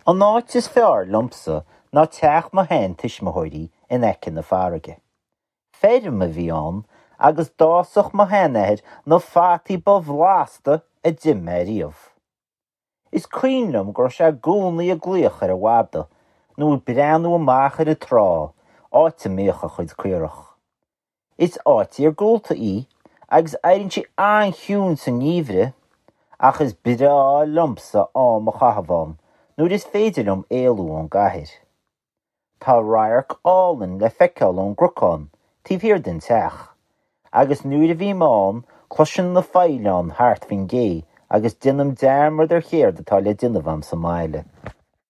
An áit is fearr liomsa ná teach mo sheantuismitheoirí in aice na farraige. Feirm a bhí ann agus d'fhásadh mo sheanathair na fataí ba bhlasta a d'ith mé riamh. Is cuimhin liom go raibh sé i gcónaí ag glaoch ar a mhadadh nó ag breathnú amach ar an trá, áit a mbíodh a chuid caorach. Is áit iargúlta í agus éiríonn sí an-chiúin sa ngeimhreadh, ach is breá liomsa am a chaitheamh ann nuair is féidir liom éalú ón gcathair. Tá radharc álainn le feiceáil ón gcnocán taobh thiar den teach, agus nuair a bhím ann cloisim na faoileáin thart faoin gcé agus déanaim dearmad ar chéard atá le déanamh agam sa mbaile.